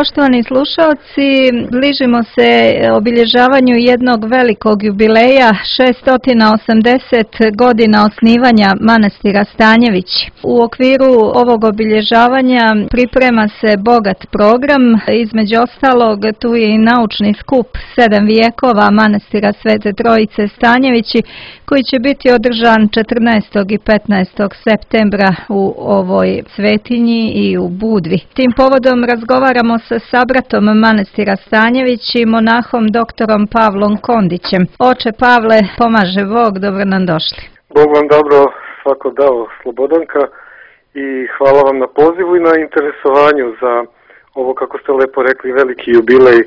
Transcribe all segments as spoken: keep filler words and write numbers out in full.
Poštovani slušalci, bližimo se obilježavanju jednog velikog jubileja, šesnaest osamdeset godina osnivanja manastira Stanjević. U okviru ovog obilježavanja priprema se bogat program, između ostalog tu je i naučni skup sedam vijekova manastira Svete Trojice Stanjevići, koji će biti održan četrnaestog i petnaestog septembra u ovoj svetinji i u Budvi. Tim povodom razgovaramo sa sabratom manastira Stanjević i monahom doktorom Pavlom Kondićem. Oče Pavle, pomaže Bog, dobro nam došli. Bog vam dobro svako dao, Slobodanka, i hvala vam na pozivu i na interesovanju za ovo, kako ste lepo rekli, veliki jubilej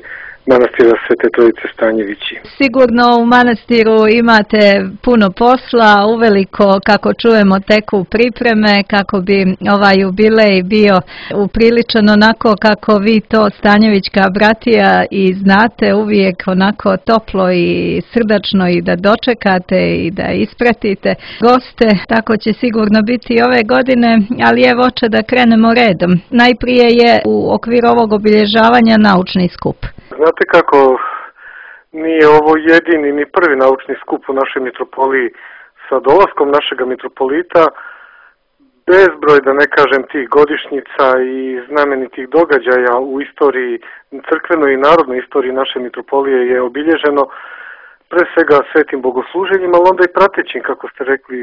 manastira Svete Trojice Stanjevići. Sigurno u manastiru imate puno posla, uveliko, kako čujemo, teku pripreme kako bi ovaj jubilej bio upriličan onako kako vi to Stanjevićka bratija i znate, uvijek onako toplo i srdačno i da dočekate i da ispratite goste. Tako će sigurno biti i ove godine, ali evo, oče, da krenemo redom. Najprije je u okviru ovog obilježavanja naučni skup. Znate kako, nije ovo jedini ni prvi naučni skup u našoj mitropoliji. Sa dolaskom našega mitropolita, bezbroj, da ne kažem, tih godišnjica i znamenitih događaja u istoriji, crkvenoj i narodnoj istoriji naše mitropolije je obilježeno pre svega svetim bogosluženjima, ali onda i pratećim, kako ste rekli,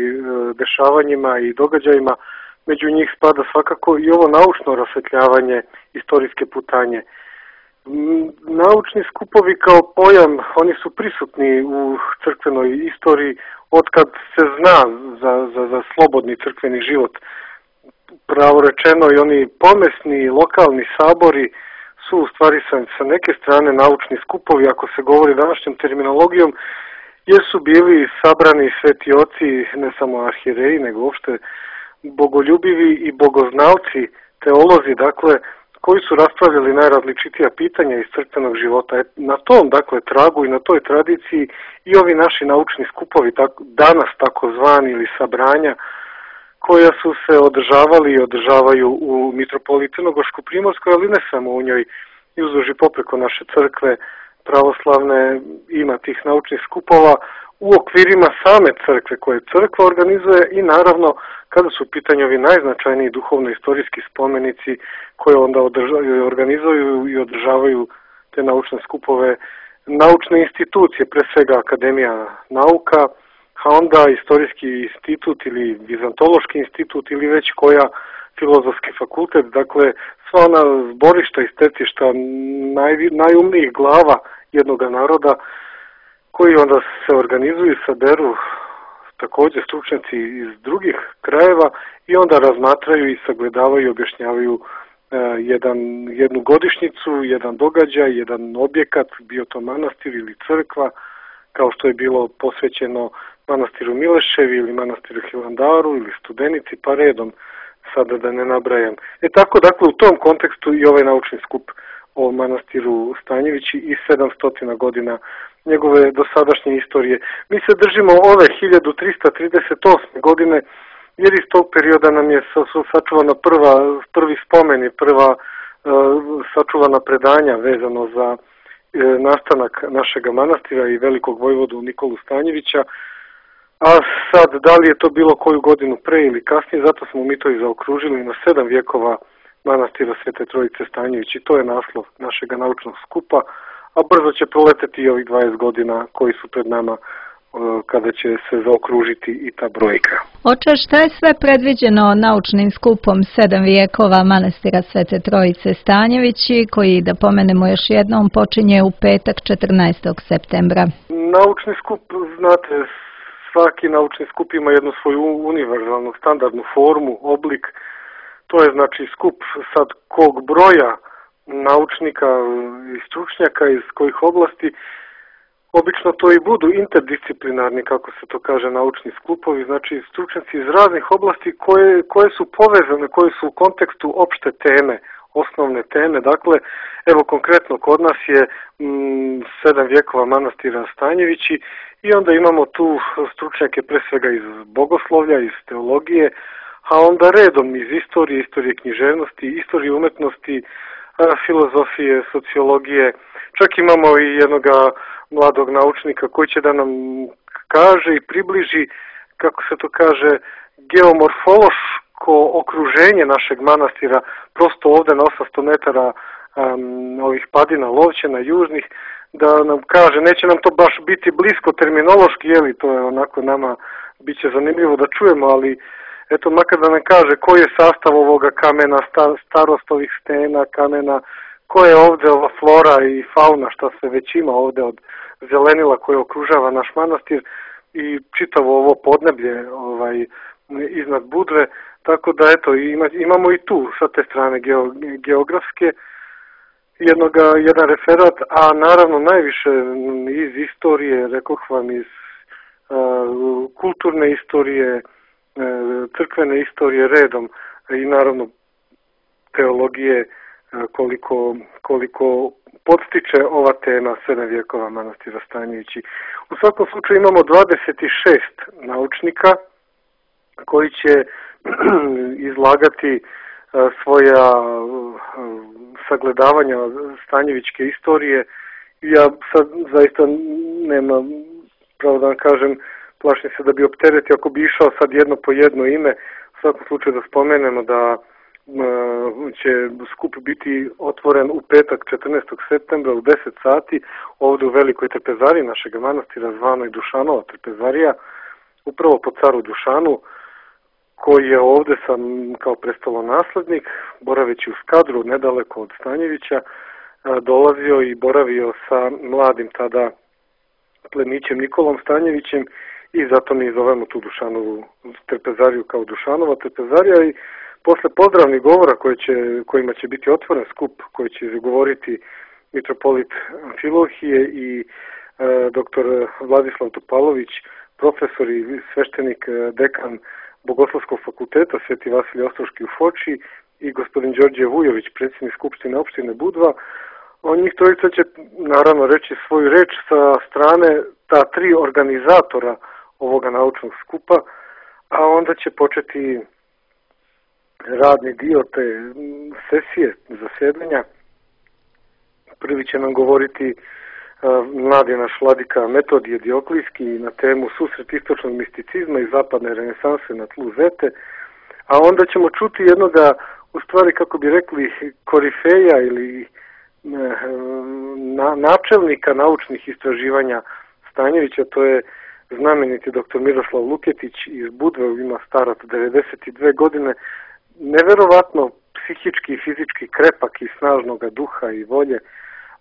dešavanjima i događajima. Među njih spada svakako i ovo naučno rasvetljavanje istorijske putanje. Naučni skupovi kao pojam, oni su prisutni u crkvenoj istoriji otkad se zna za, za, za slobodni crkveni život. Pravo rečeno, i oni pomesni lokalni sabori su u stvari sa, sa neke strane naučni skupovi, ako se govori današnjom terminologijom, jer su bili sabrani sveti oci, ne samo arhijereji, nego uopšte bogoljubivi i bogoznalci, teolozi, dakle, koji su raspravljali najrazličitija pitanja iz crkvenog života. Na tom, dakle, tragu i na toj tradiciji i ovi naši naučni skupovi, tako, danas takozvani ili sabranja, koja su se održavali i održavaju u mitropoliji Crnogorsko-Primorskoj, ali ne samo u njoj, i uzduž i popreko naše crkve pravoslavne ima tih naučnih skupova u okvirima same crkve koje crkva organizuje i naravno kada su u pitanju ovi najznačajniji duhovno-istorijski spomenici koje onda održavaju, organizuju i održavaju te naučne skupove, naučne institucije, pre svega Akademija nauka, a onda Istorijski institut ili Vizantološki institut ili već koja Filozofski fakultet, dakle sva ona zborišta i stecišta naj, najumnijih glava jednog naroda koji onda se organizuju i saberu također stručnjaci iz drugih krajeva i onda razmatraju i sagledavaju i objašnjavaju e, jedan, jednu godišnjicu, jedan događaj, jedan objekat, bio to manastir ili crkva, kao što je bilo posvećeno manastiru Mileševi ili manastiru Hilandaru ili Studenici, pa redom, sada da ne nabrajam. E tako, dakle, u tom kontekstu i ovaj naučni skup o manastiru Stanjevići i sedamsto godina njegove dosadašnje istorije. Mi se držimo ove hiljadu trista trideset osme godine, jer iz tog perioda nam je sačuvana prva, prvi spomeni, prva uh, sačuvana predanja vezano za uh, nastanak našega manastira i velikog vojvodu Nikolu Stanjevića. A sad, da li je to bilo koju godinu pre ili kasnije, zato smo mi to i zaokružili na sedam vijekova manastira Svete Trojice Stanjević i to je naslov našega naučnog skupa, a brzo će proleteti i ovih dvadeset godina koji su pred nama kada će se zaokružiti i ta brojka. Oče, šta je sve predviđeno naučnim skupom sedam vijekova manastira Svete Trojice Stanjevići, koji, da pomenemo još jednom, počinje u petak četrnaestog septembra? Naučni skup, znate, svaki naučni skup ima jednu svoju univerzalnu, standardnu formu, oblik. To je znači skup sad kog broja naučnika i stručnjaka iz kojih oblasti. Obično to i budu interdisciplinarni, kako se to kaže, naučni skupovi, znači stručnjaci iz raznih oblasti koje, koje su povezane, koje su u kontekstu opšte teme, osnovne teme. Dakle, evo konkretno kod nas je mm, sedam vjekova manastira Stanjevići i onda imamo tu stručnjake pre svega iz bogoslovlja, iz teologije, a onda redom iz istorije, istorije književnosti, istorije umetnosti, filozofije, sociologije. Čak imamo i jednog mladog naučnika koji će da nam kaže i približi, kako se to kaže, geomorfološko okruženje našeg manastira, prosto ovde na osamsto metara um, ovih padina Lovćena južnih, da nam kaže, neće nam to baš biti blisko terminološki, jeli, to je onako nama bit će zanimljivo da čujemo, ali eto, makar da nam kaže koji je sastav ovoga kamena, starost ovih stena, kamena, koja je ovde ova flora i fauna, šta se već ima ovde od zelenila koje okružava naš manastir i čitavo ovo podneblje ovaj, iznad Budve, tako da eto, ima, imamo i tu sa te strane geo, geografske jednoga, jedan referat, a naravno najviše iz istorije, rekoh vam, iz uh, kulturne istorije, uh, crkvene istorije redom i naravno teologije, uh, koliko, koliko podstiče ova tema srednjevjekova manastira Stanjevići. U svakom slučaju imamo dvadeset šest naučnika koji će izlagati uh, svoja uh, sagledavanja stanjevićke istorije. Ja sad zaista nema, pravo da vam kažem, plašim se da bi opteretio ako bi išao sad jedno po jedno ime. U svakom slučaju da spomenemo da će skup biti otvoren u petak četrnaestog septembra u deset sati ovde u Velikoj trpezariji našeg manastira zvanoj Dušanova trpezarija, upravo po caru Dušanu, koji je ovde sam kao prestolonaslednik, boraveći u Skadru, nedaleko od Stanjevića, dolazio i boravio sa mladim tada plemićem Nikolom Stanjevićem i zato mi zovemo tu Dušanovu trpezariju kao Dušanova trpezarija i posle pozdravnih govora koje će, kojima će biti otvoren skup, koji će izgovoriti mitropolit Amfilohije i e, doktor Vladislav Topalović, profesor i sveštenik, dekan Bogoslovskog fakulteta Sveti Vasilij Ostroški u Foči i gospodin Đorđe Vujović, predsjednik Skupštine opštine Budva. On njih trojica će naravno reći svoju reč sa strane ta tri organizatora ovoga naučnog skupa, a onda će početi radni dio te sesije zasedanja. Prvi će nam govoriti uh, mladi naš vladika Metodije Dioklijski na temu susret istočnog misticizma i zapadne renesanse na tlu Zete, a onda ćemo čuti jednoga, u stvari kako bi rekli, korifeja ili na, načelnika naučnih istraživanja Stanjevića, to je znameniti doktor Miroslav Luketić iz Budve, ima stara devedeset dve godine, neverovatno psihički i fizički krepak i snažnog duha i volje.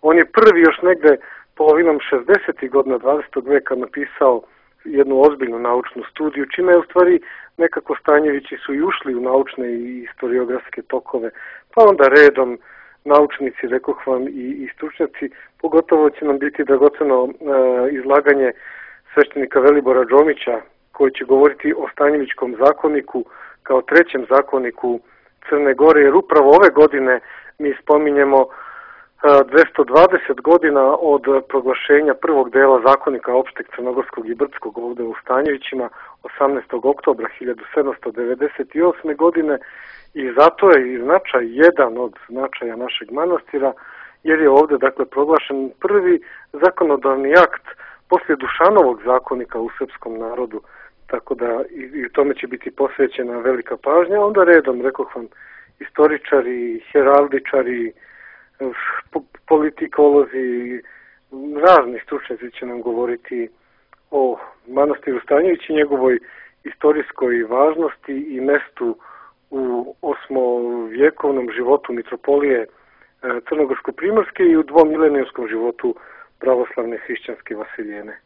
On je prvi još negde polovinom šezdesetih godina dvadesetog veka napisao jednu ozbiljnu naučnu studiju, čime je u stvari nekako Stanjevići su i ušli u naučne i historiografske tokove, pa onda redom naučnici, rekoh vam, i, i stručnjaci. Pogotovo će nam biti dragoceno e, izlaganje sveštenika Velibora Džomića, koji će govoriti o Stanjevićkom zakoniku kao trećem zakoniku Crne Gore, jer upravo ove godine mi spominjemo dvesta dvadeset godina od proglašenja prvog dela zakonika opšteg crnogorskog i brdskog ovde u Stanjevićima osamnaestog oktobra hiljadu sedamsto devedeset osme godine i zato je i značaj jedan od značaja našeg manastira, jer je ovde dakle proglašen prvi zakonodavni akt poslije Dušanovog zakonika u srpskom narodu, tako da i, i tome će biti posvećena velika pažnja. Onda redom, rekoh vam, istoričari, heraldičari, politikolozi, razni stručnjaci će nam govoriti o manastiru Stanjević i njegovoj istorijskoj važnosti i mestu u osmovjekovnom životu mitropolije Crnogorsko-primorske i u dvomilenijskom životu pravoslavne hrišćanske Vasiljene.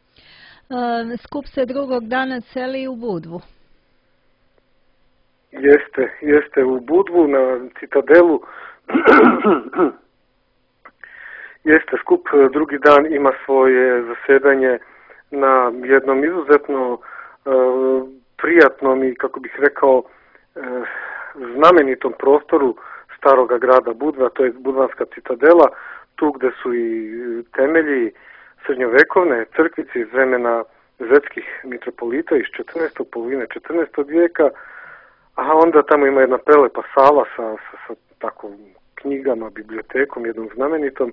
Skup se drugog dana seli u Budvu. Jeste, jeste u Budvu na Citadelu. Jeste, skup drugi dan ima svoje zasedanje na jednom izuzetno uh, prijatnom i, kako bih rekao, uh, znamenitom prostoru staroga grada Budva, to je Budvanska Citadela, tu gde su i temelji srednjovekovne crkvice iz vremena zetskih mitropolita iz četrnaestog polovine četrnaestog vijeka, a onda tamo ima jedna prelepa sala sa, sa, sa tako knjigama, bibliotekom, jednom znamenitom,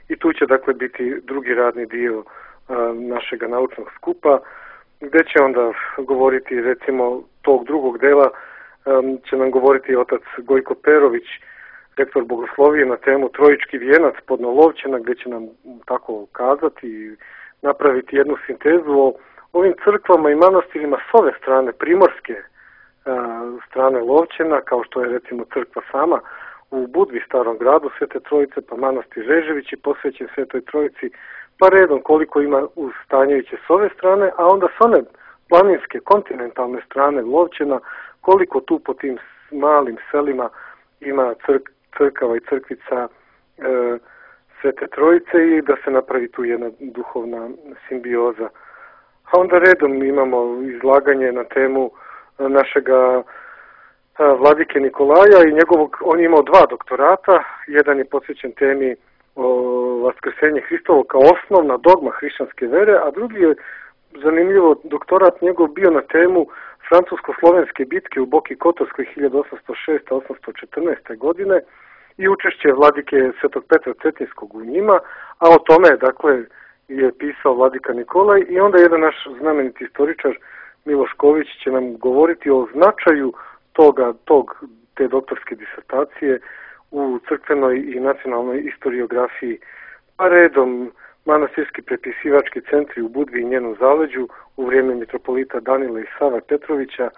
i tu će dakle biti drugi radni dio našega naučnog skupa, gdje će onda govoriti, recimo, tog drugog dela će nam govoriti otac Gojko Perović, rektor bogoslovije, na temu Trojički vijenac Podnolovčana, gdje će nam tako kazati i napraviti jednu sintezu o ovim crkvama i manastirima s ove strane, primorske strane Lovćena, kao što je recimo crkva sama u Budvi, Starom gradu Svete Trojice, pa manastir Reževići posvećen Svetoj Trojici, pa redom koliko ima u Stanjeviće s ove strane, a onda s one planinske, kontinentalne strane Lovćena, koliko tu po tim malim selima ima crk, crkava i crkvica e, Svete Trojice, i da se napravi tu jedna duhovna simbioza. A onda redom imamo izlaganje na temu našega vladike Nikolaja i njegovog, on je imao dva doktorata, jedan je posvećen temi o vaskrsenje Hristovo kao osnovna dogma hrišćanske vere, a drugi je, zanimljivo, doktorat njegov bio na temu francusko-slovenske bitke u Boki Kotorskoj hiljadu osamsto šeste do osamsto četrnaeste. godine i učešće vladike Svetog Petra Cetinskog u njima, a o tome, dakle, je pisao vladika Nikolaj, i onda jedan naš znameniti istoričar Miloš Ković će nam govoriti o značaju toga, tog, te doktorske disertacije u crkvenoj i nacionalnoj historiografiji, pa redom manastirski prepisivački centri u Budvi i njenom zaleđu u vrijeme mitropolita Danila i Sava Petrovića,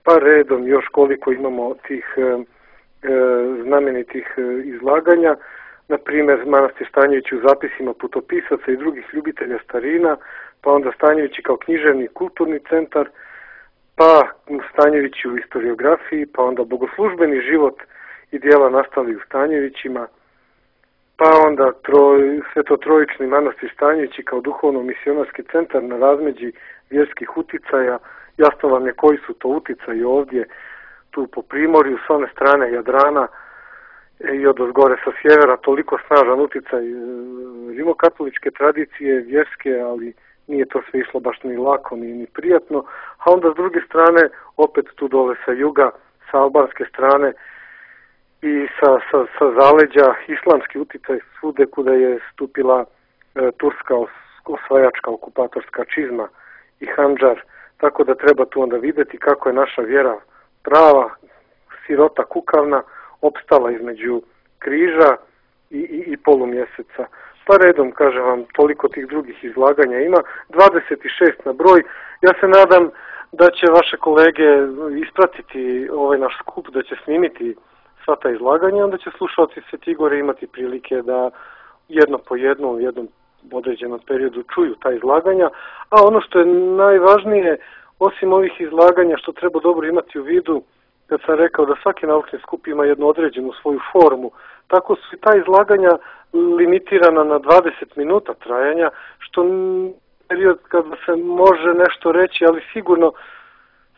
pa redom još koliko imamo tih e, e, znamenitih e, izlaganja, na primjer manastir Stanjevići u zapisima putopisaca i drugih ljubitelja starina, pa onda Stanjevići kao književni kulturni centar, pa Stanjevići u historiografiji, pa onda bogoslužbeni život i dijela nastali u Stanjevićima, pa onda troj, Svetotrojični manastir Stanjevići kao duhovno-misionarski centar na razmeđi vjerskih uticaja. Jasno vam je koji su to uticaji ovdje, tu po primorju, s one strane Jadrana i od ozgore sa sjevera, toliko snažan uticaj rimokatoličke tradicije, vjerske, ali nije to sve išlo baš ni lako, ni, ni prijatno. A onda s druge strane, opet tu dole sa juga, sa albanske strane i sa, sa, sa zaleđa, islamski uticaj svude kuda je stupila e, turska os, osvajačka okupatorska čizma i handžar. Tako da treba tu onda vidjeti kako je naša vjera prava, sirota kukavna, opstala između križa i, i, i polumjeseca. Pa redom, kažem vam, toliko tih drugih izlaganja ima, dvadeset šest na broj. Ja se nadam da će vaše kolege ispratiti ovaj naš skup, da će snimiti sva ta izlaganja, onda će slušalci Svete Igore imati prilike da jedno po jedno u jednom određenom periodu čuju ta izlaganja. A ono što je najvažnije, osim ovih izlaganja, što treba dobro imati u vidu, kad sam rekao da svaki naučni skup ima jednu određenu svoju formu, tako su i ta izlaganja limitirana na dvadeset minuta trajanja, što period kada se može nešto reći, ali sigurno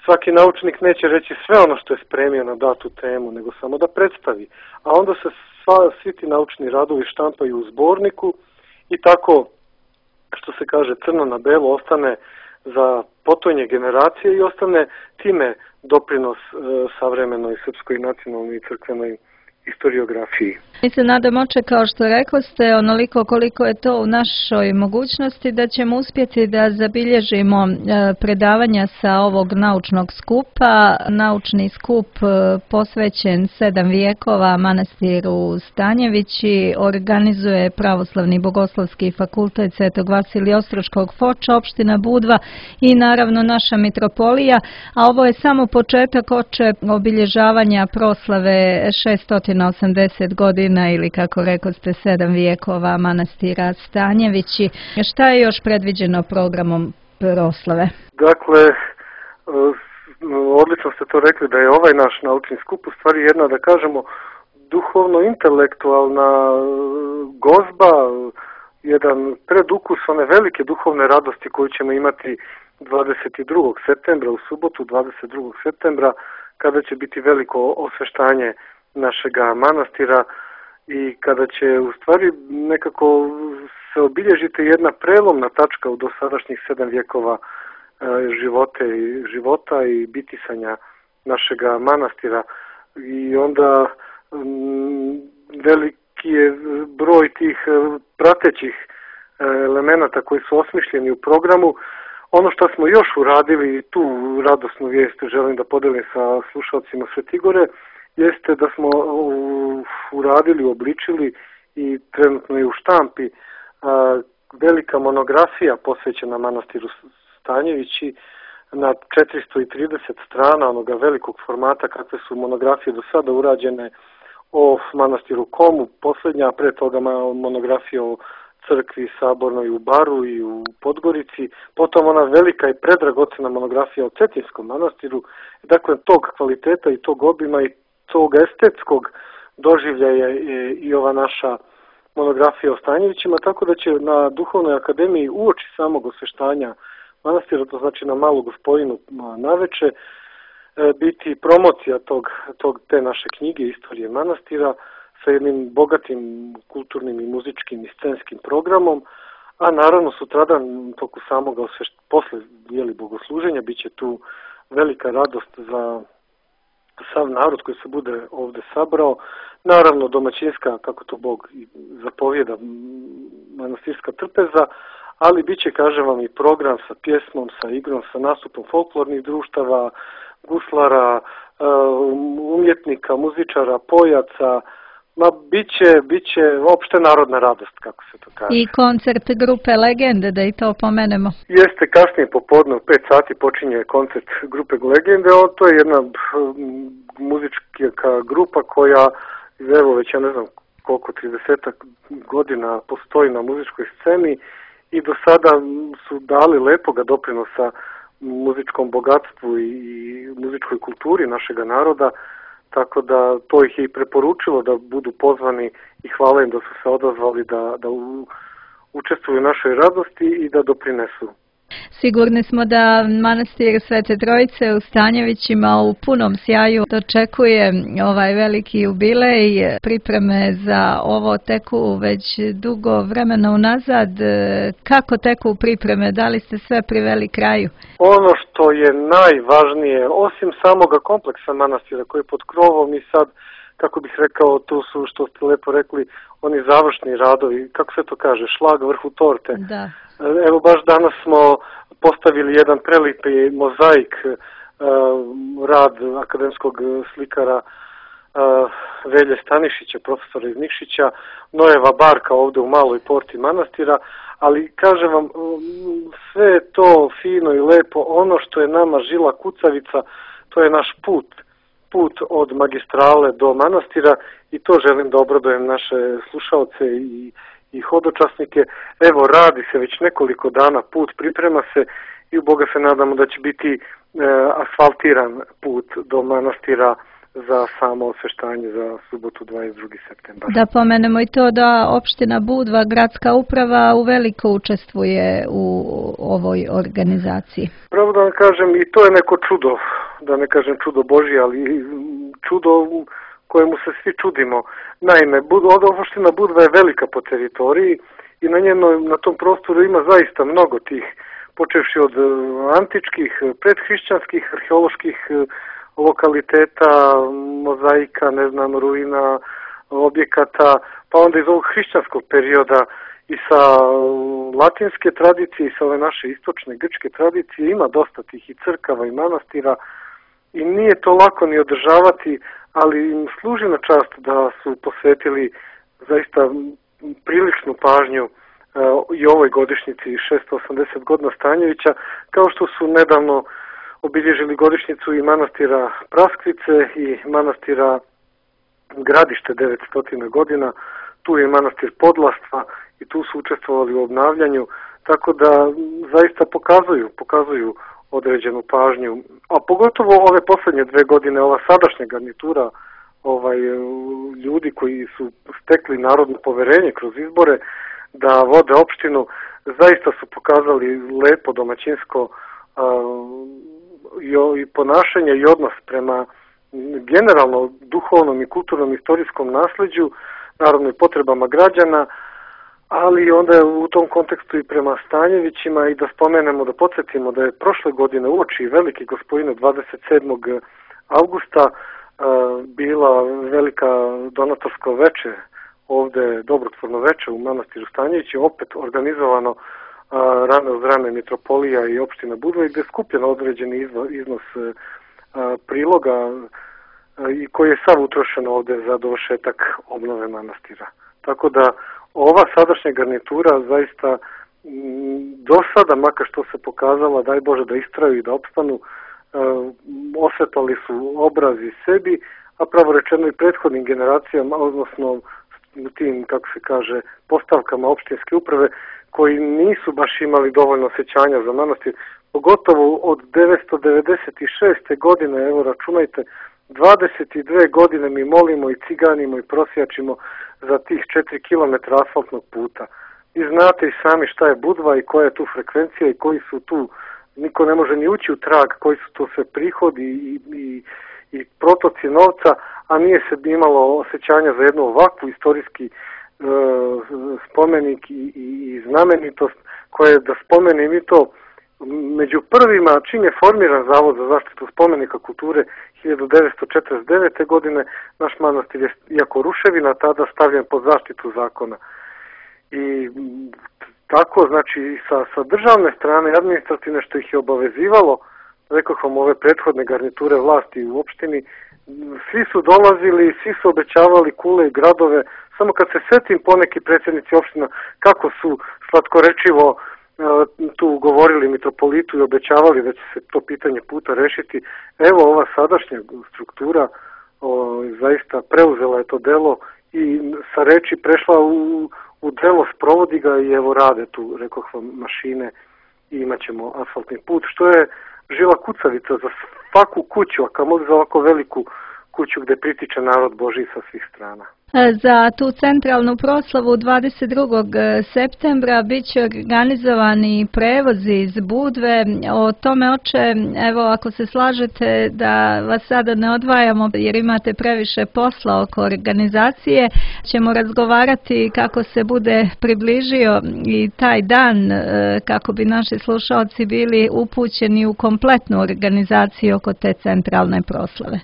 svaki naučnik neće reći sve ono što je spremio na datu temu, nego samo da predstavi. A onda se sva, svi ti naučni radovi štampaju u zborniku i tako, što se kaže, crno na belo ostane za potonje generacije i ostane time doprinos e, savremenoj srpskoj nacionalnoj i crkvenoj historiografiji. Mi se nadamo, kao što rekli ste, onoliko koliko je to u našoj mogućnosti, da ćemo uspjeti da zabilježimo predavanja sa ovog naučnog skupa. Naučni skup posvećen sedam vijekova manastiru Stanjevići organizuje Pravoslavni bogoslovski fakultet Svetog Vasilija Ostroškog Foča, opština Budva i naravno naša mitropolija, a ovo je samo početak oče obilježavanja proslave šesto osamdeset godina ili, kako rekao ste, sedam vijekova manastira Stanjevići. Šta je još predviđeno programom proslave? Dakle, odlično ste to rekli da je ovaj naš naučni skup u stvari jedna, da kažemo, duhovno-intelektualna gozba, jedan predukus one velike duhovne radosti koju ćemo imati dvadeset drugog septembra, u subotu dvadeset drugog septembra, kada će biti veliko osveštanje našega manastira i kada će u stvari nekako se obilježiti jedna prelomna tačka u dosadašnjih sedam vjekova e, živote, života i bitisanja našega manastira. I onda m, veliki je broj tih pratećih elemenata koji su osmišljeni u programu. Ono što smo još uradili, tu radosnu vijest želim da podelim sa slušalcima Svetigore, jeste da smo uradili, obličili i trenutno je u štampi velika monografija posvećena manastiru Stanjevići na četiristo trideset strana onoga velikog formata kakve su monografije do sada urađene o manastiru Komu, posljednja, pre toga monografija o crkvi Sabornoj u Baru i u Podgorici, potom ona velika i predragocena monografija o Cetinskom manastiru. Dakle, tog kvaliteta i tog obima i tog estetskog doživljaja je i ova naša monografija o Stanjevićima, tako da će na Duhovnoj akademiji uoči samog osveštanja manastira, to znači na Malu Gospojinu naveče, biti promocija tog, tog, te naše knjige Istorije manastira sa jednim bogatim kulturnim i muzičkim i scenskim programom, a naravno sutradan toku samog osveštenja, posle jeli, bogosluženja, bit će tu velika radost za sav narod koji se bude ovde sabrao. Naravno domaćinska, kako to Bog zapovjeda, manastirska trpeza, ali bit će, kažem vam, i program sa pjesmom, sa igrom, sa nastupom folklornih društava, guslara, umjetnika, muzičara, pojaca. Ma, bit će, bit će opšte narodna radost, kako se to kaže. I koncert grupe Legende, da i to pomenemo. Jeste, kasnije popodne u pet sati počinje koncert grupe Legende. O, to je jedna muzička grupa koja, evo već ja ne znam koliko, tridesetak godina postoji na muzičkoj sceni i do sada su dali lepoga doprinosa muzičkom bogatstvu i muzičkoj kulturi našega naroda, tako da to ih je i preporučilo da budu pozvani i hvala im da su se odazvali da, da u, učestvuju u našoj radosti i da doprinesu. Sigurni smo da manastir Svete Trojice u Stanjevićima u punom sjaju dočekuje ovaj veliki jubilej. Pripreme za ovo teku već dugo vremena unazad. Kako teku pripreme? Da li ste sve priveli kraju? Ono što je najvažnije, osim samoga kompleksa manastira koji je pod krovom i sad, kako bih rekao, tu su, što ste lepo rekli, oni završni radovi, kako se to kaže, šlag vrhu torte. Da. Evo baš danas smo postavili jedan prelipi mozaik, rad akademskog slikara Velje Stanišića, profesora iz Nikšića, Nojeva barka ovde u maloj porti manastira, ali kažem vam, sve je to fino i lepo, ono što je nama žila kucavica, to je naš put, put od magistrale do manastira i to želim da obradujem naše slušaoce i i hodočasnike. Evo, radi se već nekoliko dana, put priprema se i u Boga se nadamo da će biti e, asfaltiran put do manastira za samo osveštanje za subotu dvadeset drugog septembra. Da pomenemo i to da opština Budva, gradska uprava, uveliko učestvuje u ovoj organizaciji. Pravo da vam kažem, i to je neko čudo, da ne kažem čudo Božje, ali čudo kojemu se svi čudimo. Naime, opština Budva je velika po teritoriji i na njenoj, na tom prostoru ima zaista mnogo tih, počevši od antičkih, predhrišćanskih, arheoloških lokaliteta, mozaika, ne znam, ruina, objekata, pa onda iz ovog hrišćanskog perioda i sa latinske tradicije i sa ove naše istočne grčke tradicije ima dosta tih i crkava i manastira i nije to lako ni održavati, ali im služi na čast da su posvetili zaista priličnu pažnju uh, i ovoj godišnjici šesto osamdeset godina Stanjevića, kao što su nedavno obilježili godišnjicu i manastira Praskvice i manastira Gradište devetsto godina, tu je manastir Podlastva i tu su učestvovali u obnavljanju, tako da zaista pokazuju, pokazuju određenu pažnju, a pogotovo ove poslednje dve godine, ova sadašnja garnitura ovaj, ljudi koji su stekli narodno poverenje kroz izbore da vode opštinu, zaista su pokazali lepo domaćinsko a, i, i ponašanje i odnos prema generalno duhovnom i kulturnom istorijskom nasleđu, naravno i potrebama građana, ali onda u tom kontekstu i prema Stanjevićima i da spomenemo, da podsjetimo da je prošle godine uoči Velike Gospojine dvadeset sedmog avgusta bila velika donatorsko veče, ovde dobrotvorno veče u manastiru Stanjevići, opet organizovano rame uz rame mitropolija i opština Budva, i gde je skupljen određeni iznos, iznos priloga i koji je sav utrošen ovde za dovršetak obnove manastira. Tako da ova sadašnja garnitura zaista do sada, makar što se pokazala, daj Bože da istraju i da opstanu, osvetali su obrazi sebi, a pravo rečeno i prethodnim generacijama, odnosno tim, kako se kaže, postavkama opštinske uprave, koji nisu baš imali dovoljno osjećanja za manastir, pogotovo od devetsto devedeset šeste. godine, evo računajte, dvadeset dve godine mi molimo i ciganimo i prosjačimo za tih četiri kilometra asfaltnog puta. I znate i sami šta je Budva i koja je tu frekvencija i koji su tu, niko ne može ni ući u trag, koji su tu sve prihodi i, i, i protoci novca, a nije se imalo osjećanja za jednu ovakvu istorijski e, spomenik i, i, i znamenitost koje, da spomenim i to, među prvima, čim je formiran Zavod za zaštitu spomenika kulture hiljadu devetsto četrdeset devete. godine, naš manastir je, iako ruševina, tada stavljen pod zaštitu zakona. I tako, znači, sa, sa državne strane, administrativne, što ih je obavezivalo, rekao vam, ove prethodne garniture vlasti u opštini, svi su dolazili, svi su obećavali kule i gradove, samo kad se setim poneki predsjednici opština kako su slatkorečivo tu govorili mitropolitu i obećavali da će se to pitanje puta rešiti. Evo, ova sadašnja struktura o, zaista preuzela je to delo i sa reči prešla u, u delo, sprovodi ga i evo rade tu, rekoh vam, mašine i imat ćemo asfaltni put, što je žila kucavica za svaku kuću, a kamoli za ovako veliku kuću gde pritiče narod Božji sa svih strana. Za tu centralnu proslavu dvadeset drugog septembra bit će organizovani prevozi iz Budve. O tome, oče, evo, ako se slažete da vas sada ne odvajamo jer imate previše posla oko organizacije, ćemo razgovarati kako se bude približio i taj dan, kako bi naši slušalci bili upućeni u kompletnu organizaciju oko te centralne proslave.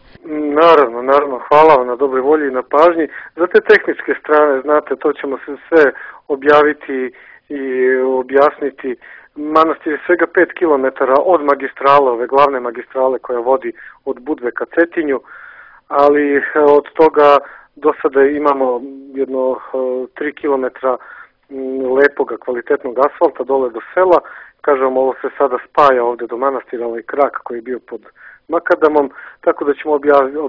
Naravno, naravno, hvala vam na dobroj volji i na pažnji. Za te tehničke strane, znate, to ćemo se sve objaviti i objasniti. Manastir je svega pet kilometara od magistrale, ove glavne magistrale koja vodi od Budve ka Cetinju, ali od toga do sada imamo jedno tri kilometra lepoga, kvalitetnog asfalta dole do sela. Kažem, ovo se sada spaja ovde do manastira, ovaj krak koji je bio pod makadamom, tako da ćemo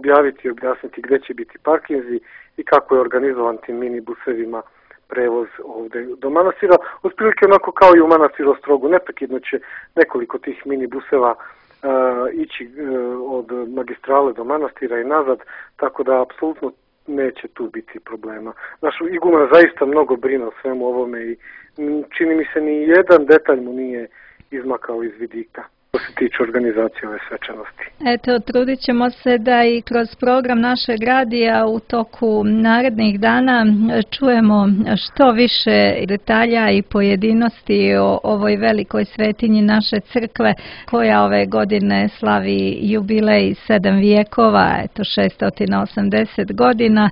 objaviti i objasniti gde će biti parkinzi i kako je organizovan tim minibusevima prevoz ovde do manastira. Otprilike onako kao i u manastiru Ostrogu, neprekidno će nekoliko tih minibuseva uh, ići uh, od magistrale do manastira i nazad, tako da apsolutno neće tu biti problema. Naš iguman zaista mnogo brine o svemu ovome i čini mi se ni jedan detalj mu nije izmakao iz vidika što se tiče organizacije ove svečanosti. Eto, trudit ćemo se da i kroz program našeg radija u toku narednih dana čujemo što više detalja i pojedinosti o ovoj velikoj svetinji naše crkve, koja ove godine slavi jubilej sedam vijekova, eto šesto osamdeset godina.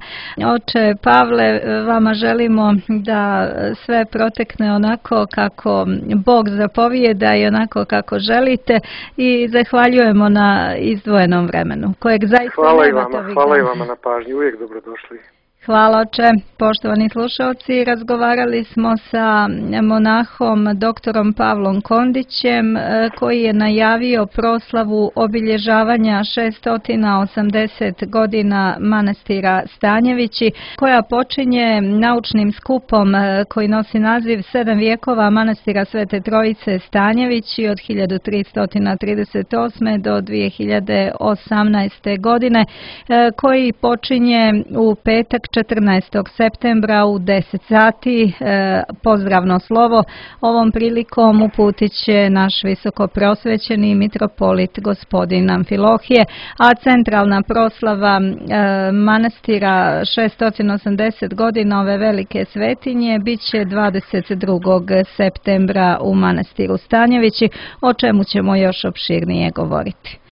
Oče Pavle, vama želimo da sve protekne onako kako Bog zapovijeda i onako kako želite, i zahvaljujemo na izdvojenom vremenu, kojeg zaista hvala nemate i vama, ovih hvala dana. i vama na pažnji, uvijek dobrodošli. Hvala, oče. Poštovani slušalci, razgovarali smo sa monahom doktorom Pavlom Kondićem, koji je najavio proslavu obilježavanja šesto osamdeset godina manastira Stanjevići, koja počinje naučnim skupom koji nosi naziv Sedam vijekova manastira Svete Trojice Stanjevići od hiljadu tristo trideset osme do dvije hiljade osamnaeste. godine, koji počinje u petak četrnaestog septembra u deset sati. Pozdravno slovo ovom prilikom uputit će naš visoko prosvećeni mitropolit gospodin Amfilohije, a centralna proslava manastira šesto osamdeset godina ove velike svetinje bit će dvadeset drugog septembra u manastiru Stanjevići, o čemu ćemo još opširnije govoriti.